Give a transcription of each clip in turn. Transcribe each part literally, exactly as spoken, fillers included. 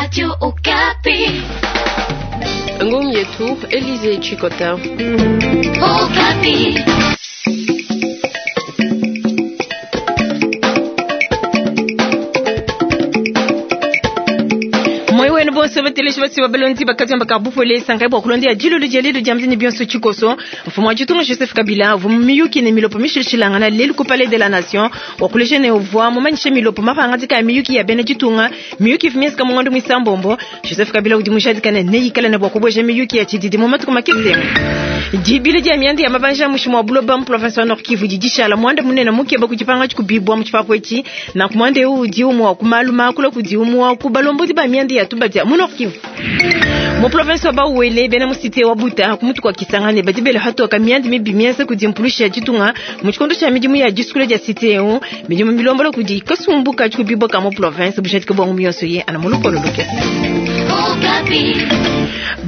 Radio Okapi. Ngom yetu Elize Chikota. Okapi. Moyo wenu bonso bateleshi basi babalondi bakati mbaka bupole sangai bwa kulondia jilo lije jamzini bionso chikoso. Mfumo wa jitunga Joseph Kabila vumiyuki ne milopo mishilishilangana lelu ku Palais de la Nation wa kuleshe ne uvwa mumanyishe milopo mapanga miyuki ya bene jitunga miyuki vimyesika mungondo mwisambombo. Joseph Kabila udi mushadikane ne yikala ne bwa kubweja miyuki ya chididi mu matuku makese. Jibile dia miandi ya mabanja mushimu wa buloba mu province wa Nord Kivu didishala mwanda munene mukeba kujipanga chikubibwa mu chipapo ichi na kumwande udi umwa kumaluma kula kudi umwa kubalombo ba miandi ya tubadia mu Nord Kivu. Mu province wa Bauele bena mu cité wa Buta kumutu kwa Kisangani badibele hato ka miandi mibi mienza kudimpulusha jitunga mu chikondo cha midimu ya diskule ya cité yo midimu milombolo kudi kasumbuka chikubibwa ka mu province bushati kabongo miyonso ye ana mulukolo loke.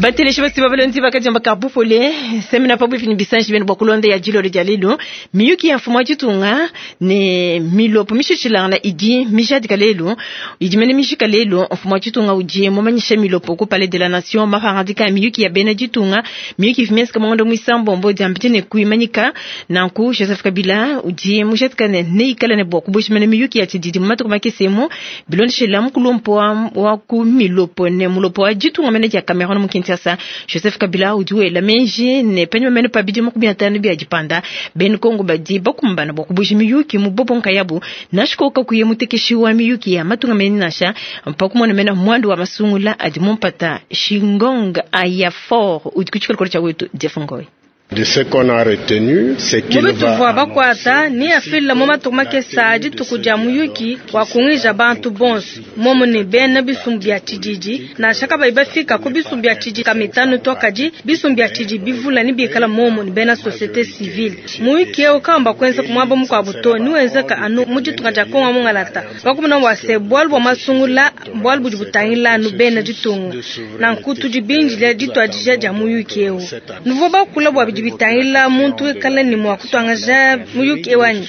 Bateleshi basi babalondi bakajamba kabupole semina pabu fini bisanji bene bwa ya jilo ya lelo miyuki ya mfumo jitunga ne milopo mishishilana idi mishadika lelo idi mene mishika lelo mfumo jitunga uje mumanyisha milopo ku Palais de la Nation mafarandika miyuki ya bene jitunga miyuki fimieska mongondo mwisambombo jambitine kuimanyika nanku Joseph Kabila uje mushadika ne neikala ne bwa kubushimene miyuki ya tididi mumatuku makesemu bilondeshela mukulumpo wa ku milopo ne mulopo wa jitunga mene ya Cameroon mu Kinshasa. Joseph Kabila udiwe la menji ne penye mene pabidi makumi atano bya jipanda ben Kongo badi bakumbana bwa kubuji miyuki mu bobo nkayabu nashikoka kuye mutekeshi wa miyuki ya matunga meni nasha mpakumona mena mwandu wa masungula adi mumpata Shingonga aya fort udikuchikala cha wetu Jeff Ngoi. De ce qu'on a retenu, c'est qu'il va bakwata ni afila mo matuku makesa dituku dia muyuki wa kungija bantu bonso momo ne bena bisumbu bia tshididi nansha kabayi bafika ku bisumbu bia tshididi kamitanu to kadi bisumbu bia tshididi bivula ni bikala momo ne bena société civile. Muyuki eu kamba kwenza kumwaba mukuabu to ni wenzeka anu mu ditunga dia Kongo mungalata bakumuna wase bwalu bwa masungula bwalu budi butangila anu bena ditunga nanku tudi binjila dituadija dia muyuki eu nuvo bakula bwa bidi bitangila muntu wikala ni mwa kutwangaja muyuki ewanyi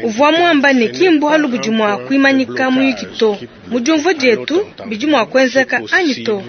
uvwa mwamba ne kimbu halu budi mwa kuimanyika muyuki to mujumvo dietu bidi mwa kwenzeka anyi to.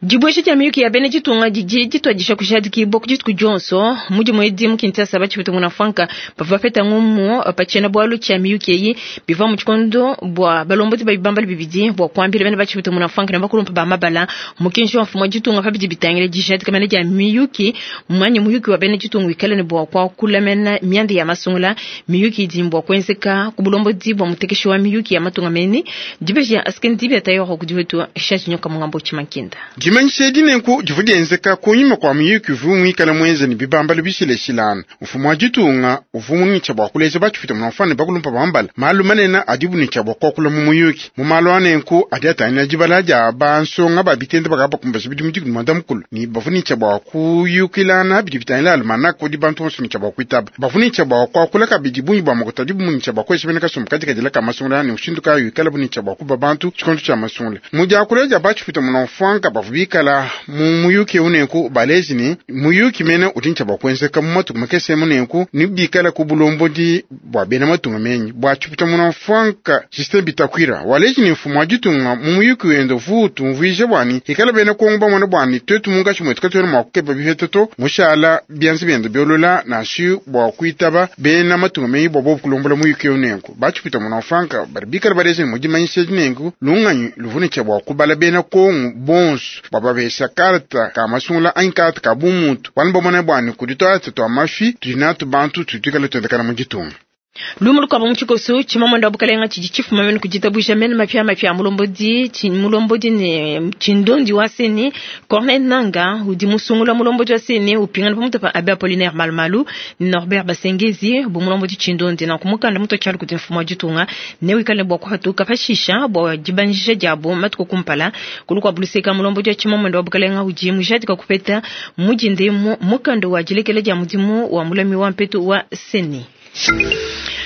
Dibweshe dia miyuki ya bene ditunga didi ditwadisha kushadiki boku dituku dionso mudi mwedi mu Kinshasa batshipeta muna franka bavua bapeta ngumu patshiena bwalu tshia miyuki eyi bivua mu tshikondo bua balombodi ba bibambala bibidi bua kuambila bene batshipeta muna franka ne bakulumpa ba mabala mukenji wa mfumu wa ditunga pa bidi bitangila dijadika mene dia miyuki mwanyi muyuki wa bene ditunga wikale ne bua kuakula mena mianda ya masungula miyuki idi bua kuenzeka ku bulombodi bua mutekeshi wa miyuki ya matunga mene dibeji ya askeni dibi atayo kudi wetu shaji nyoka mungambo tshimankinda. Dimanyisha edi nenku divua dienzeka kunyima kua muyuki uvua muikale muenze ne bibambalo bishileshilana. Mfumu wa ditunga uvua mungitsha bua kuleja batshipita munafane bakulumpa bambala malu manene adibu ne tshia bua kuakula mu muyuki. Mu malu a nenku adi atangila dibala dia bansonga ba bitende bakaba bakumbasha bidimu dikumi muanda mukulu ne bavua ne tshia bua kuyukilana bidi bitangila almanaka udi bantu bonso ne tshia bua kuitaba. Bavua ne tshia bua kuakula kabidi bungi bua makuta adibu ne tshia bua kuesha bena kasumbu kadikadila ka masungula ne mushindu kayi wikalabu ne tshia bua kuba bantu tshikondo tshia masungula. Mu diakula dia batshipita munafwanka bavua bikala mu muyuki eu nenku baleji ne muyuki mene udi ntshia bua kuenzeka mu matuku makese emu nenku ni bikala ku bulombodi bua bena matunga menyi bua tshipita munafwanka Justin Bitakwira waleji ne mfumu wa ditunga mu muyuki wende uvua utumvuija bwani ikala bena Kongo bamona bwani twetu munkatshi mwetu katuena mua kukepa bipeta to mushala bianza biende biolola nashi bua kuitaba bena matunga menyi bua bobu kulombola muyuki eu nenku batshipita munafwanka badi bikala baleji ne mudimanyisha nenku lunganyi luvua ne tshia bua kubala bena Kongo bonso bababesha karta ka masungula anyi karta ka bumuntu bana bamona bwani kudi twatse twa mafi tudi natu bantu tudi tuikale tuendekana mu ditunga. Lumu lukwabo mu tshikoso tshimamanda wa bukalenga tshidi tshifuma mene kuditabusha mene mapia mapia mulombodi mulombodi ne tshindondi wa seni Corneille Nanga udi musungula mulombodi wa seni upingana pamutu pa Abbé Apollinaire Malumalu Norbert Basengezi bu mulombodi tshindondi na kumukanda muto tshialu kuti mfumu wa ditunga ne wikale bua kuhatuka pashisha bua dibanjisha diabo matuku kumpala kulu kwa buluseka mulombodi wa tshimamanda wa bukalenga udi mujadika kupeta mujindemu mukanda wa dilekela dia mudimu wa mulami wa mpetu wa seni.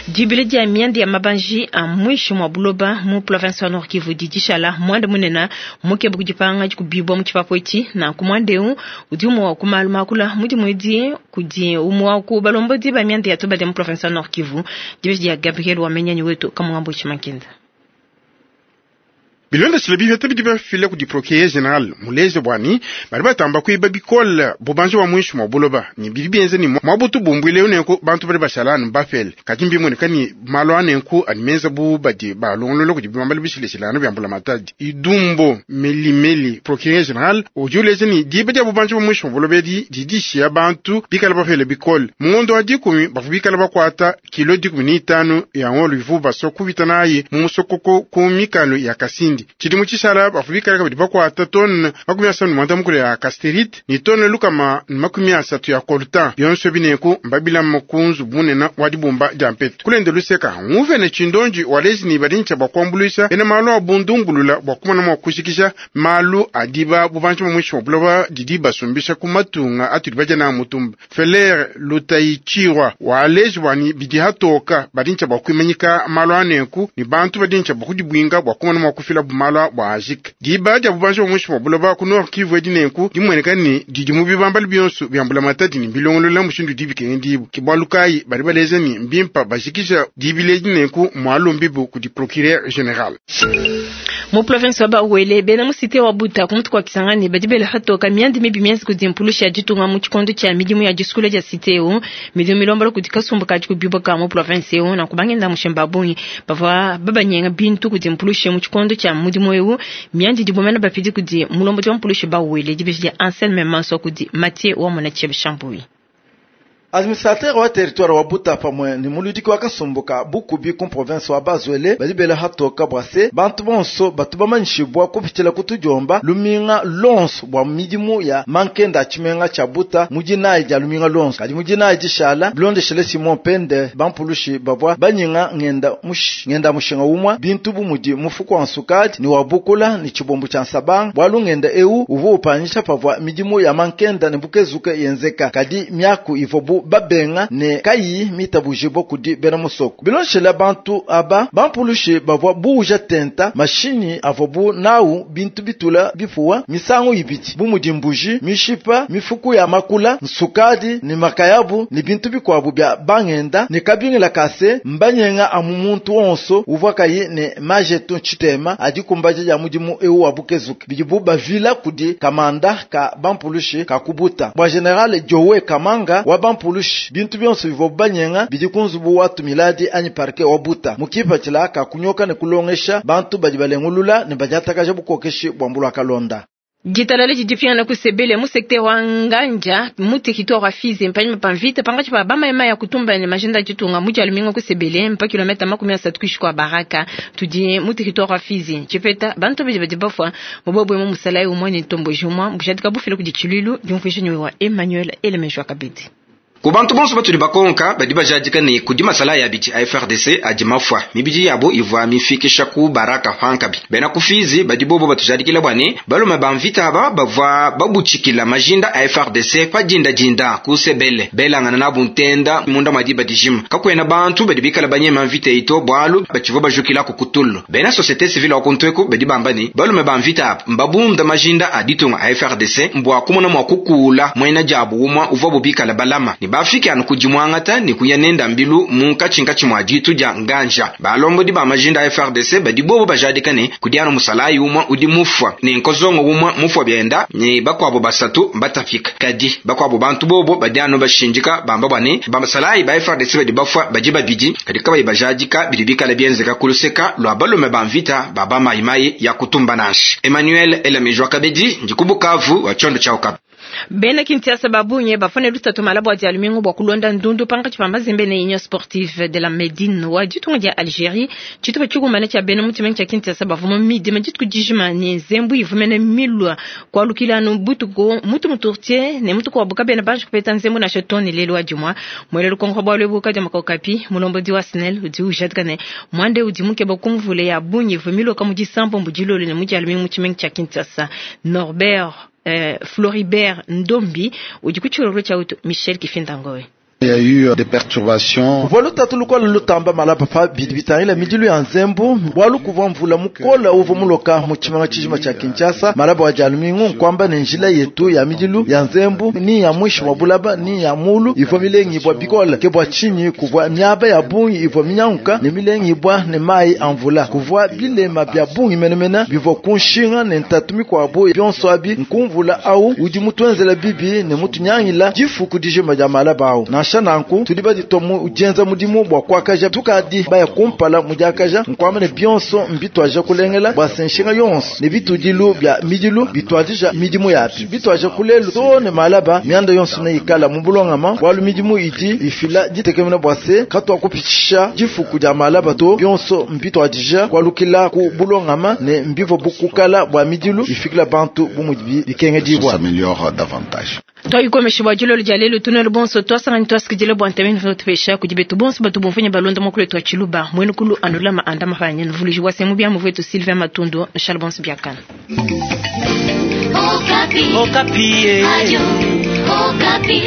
Dibile dia miandi ya mabanji a mwisho mwa buloba mu province wa Nord Kivu didishala mwanda munena mukebe kudipanga dikubibwa mu tshipapo etshi na kumwande eu udi umwe wa kumalu makula mudi mwedi kudi umwe wa ku balombodi ba miandi ya toba mu province wa Nord Kivu. Dibile dia Gabriel Wamenyanyi wetu kamungambo tshimakinda. Bilondeshile bipeta bidi bafila kudi procureur general muleze bwani bali batamba kuiba bikole bubanji wa mwishi mwa buloba ni bidi bienze ni mwabutu bumbwile unenku bantu bali bashala anu bafele kadi mbimoneka ni malu anenku animenza bu badi balongolola kudi bibambala bishileshilano bya mbulamatadi. Idumbo melimeli procureur general udi uleze ni diba dia bubanji bwa mwishi mwa buloba edi didishiya bantu bikala bafele bikole mungondo wa dikumi bavu bikala bakwata kilo dikumi ni itanu ya ngolo ivu baso kubita naye mu musokoko ku mikalo ya Kasindi. Tshidimu tshishala bavu bikala kabidi bakwata tone makumi asanu mwanda mukulu ya casterite ni tone lukama makumi asatu ya coltan bionso bineku mbabilama kunzu bunena wa dibumba dia mpetu kulende luseka nguvene tshindonji walezi ni badintsha bwa kuambuluisha bena malu a bundungulula bwa kumona mwa kushikisha malu adiba bubanji bwa mwishi wa buloba didi basumbisha ku matunga atudi badia na mutumba. Feler Lutayichirwa waleji bwani bidi hatoka badintsha bwa kuimanyika malu anenku ni bantu badintsha bwa kudibwinga bwa kumona mwa kufila bumalwa bwa ajika diba dia bubanji bwa mwishi wa buloba ku Nord Kivu edi nenku dimueneka ni didi mu bibambala bionso bya mbulamatadi ni bilongolola mushindu dibikenge dibu kibwalu kayi badi baleza ni mbimpa bashikisha dibile edi nenku mwalombibu kudi procureur general. Mu province wa Bas-Uele bena mu cité wa Buta ku mutu kwa Kisangani badi bela hatoka miandi mibi mienza kudi mpulusha ya ditunga mu tshikondo tshia midimu ya disukula dia cité eu midimu milombola kudi kasumbu kadi kubibuka mu province eu na kubangenda mushemba bungi bavua babanyenga bintu kudi mpulusha mu tshikondo tshia mudimu eu miandi dibomena bapidi kudi mulombodi wa mpulusha Bas-Uele dibeji dia Anselme Manso kudi Mathieu wa mona Chebe Chambui. Administrateur wa territoire wa Buta pamwe ni muludiki wa kasumbuka bukubi ku province wa Bas-Uele badi bela hatoka bwase bantu bonso batu bamanyishibwa kupitila kutujomba luminga lonso bwa midimu ya mankenda tshimenga tsha Buta mujinayi dia luminga lonso kadi mujinayi dishala bilondeshele Simon Pende bampulushi bavua banyinga ngenda mush, ngenda mushinga umwa bintu bumudi mufuko wa nsukadi ni wa bukula ni tshibombu tsha nsabanga bwalu ngenda eu uvu upanyisha pavua midimu ya mankenda ne bukezuke yenzeka kadi miaku ivobu babenga ne kayi mitabujibo kudi bena musoko bilonshela bantu aba bampulushi bavua buuja tenta mashinyi avobu nawu bintu bitula bifuwa misangu ibidi bumudi mbuji mishipa mifuku ya makula nsukadi ni makayabu ni bintu bikwabu bya bangenda ne kabingila kase mbanyenga amu muntu onso uvua kayi ne majetu tshitema adi kumbaja ya mudimu eu wa bukezuke bidibu bavila kudi kamanda ka bampulushi kakubuta bwa general Jowe Kamanga wa bampulushi bintu bionso bivua banyenga bidi ku nzubu wa tumiladi anyi parke wa Buta mukipatshila kakunyoka ne kulongesha bantu badi balengulula ne badiatakaja bukokeshi bwa mbula kalonda. Ditalala didipingana kusebele mu secteur wa Nganja mu territoire wa Fizi mpanyima pa mvita pangatshi pa bamayema ya kutumba ne majinda ditunga mu dia lumingu kusebele mpa kilomita makumi asatu kuishi kwa Baraka tudi mu territoire wa Fizi tshipeta bantu badi badi bafua mubobwe mu musalayi umwe ne ntomboji umwe bushadika bufile kudi tshiluilu diumvuisha wa Emmanuel Elemejwa Kabedi. Ku bantu bonso batudi bakonka badi bajadika ne kudi masala ya biti a F R D C adi mafua mibidi yabo ivua mifikisha ku Baraka pankabi bena kufizi badi bobo batujadikila bwane balume ba mvita aba bavua babutshikila majinda a F R D C pa dinda dinda ku sebele belangana nabu ntenda munda mwadi badijima kakwena bantu badi bikala banyema mvita ito bwalu batshivua bajukila ku kutulu bena société civile wa kuntweku badi bamba ne balume ba mvita aba mbabunda majinda a ditunga a F R D C mbwa kumona mwa kukula mwena jabu umwa uvua bubikala balama ni bafike anu kudimwangata ni kuya nenda mbilu mu nkatshinkatshi mwa ditu dia nganja balombodi ba majinda a F R D C badi bobo bajadika ne kudi anu musalayi umwa udi mufwa ne nkozongo umwa mufwa byenda ne bakwabo basatu batafika kadi bakwabo bantu bobo badi anu bashinjika bamba bwane bamasalayi ba F R D C badi bafwa badi babidi kadi kabayi bajadika bidi bikala byenzeka kuluseka lwa balume ba mvita baba mayimayi ya kutumba nashi. Emmanuel Elamejwa Kabedi ndikubukavu wa chondo cha Okapi. Bena Kinshasa babunye bafane lutatu malabo dia lumingu bwa kulonda ndundu pangatshi pa Mazembe ne Union Sportive de la Medine wa ditunga dia Algérie tshitupa tshikumana tshia bena mutima tshia Kinshasa bavuma midima dituku dijima ne nzembu ivumene milwa kwalukila anu butuku mutu muturtie ne mutu kwa bena banji kupeta nzembu na shetoni lelo wa jumwa mwelelo kongo bwa lwebuka dia makokapi mulombodi wa SNEL udi ujadika ne mwande udi mukeba kumvule ya bunyi vumilo kamudisambo mbudilolo ne mudia lumingu mutima tshia Kinshasa. Norbert Euh, Floribert Ndombi udi kuchiroro cha utu Michel Kifindangowe. Il y a eu des perturbations. Kuvua lutatu lukola lutamba malapa pa bidi bitangila midilu ya nzembu bwalu kuvua mvula mukola uvua muloka mu tshimanga tshijima tshia Kinshasa malaba wa dialumingu nkwamba ne njila yetu ya midilu ya nzembu ni ya mwishi wa bulaba ni ya mulu ivua milengi ibwa bikola ke bua tshinyi kuvua miaba ya bungi ivua minyanguka ne milengi ibwa ne mayi a mvula kuvua bilema bya bungi menemene bivua kunshinga ne ntatu mikuabu bionso abi nkumvula au udi mutuenzela bibi ne mutunyangila difuku dijima dia malaba au nansha nanku tudi baditwa mu dienza mudimu bua kuakaja tukadi baya kumpala mudiakaja nkwamba ne bionso mbitwaja kulengela bua senshinga yonso ne bitudilu bya midilu bitwadija midimu yapi bitwaja kulelu to ne malaba mianda yonso ne ikala mu bulongama bwalu midimu idi ifila ditekemena bua se katwa kupitisha difuku dia malaba to bionso mbitwadija kwalukila ku bulongama ne mbivo bukukala bua midilu ifikila bantu bumudi bikenge dibwa s'améliore davantage. Twayikomesha bua dilolo dia lelu tunelo bonso twasangani twasikidile bua ntameni tupesha kudi betu bonso batu bomfanya balonda mokolo twa tshiluba mwenu kulu anulama anda mafanya nvuluji wa semu bya muvetu Sylvain Matundo nshala bonso biakana. Okapi. Okapi. Radio Okapi.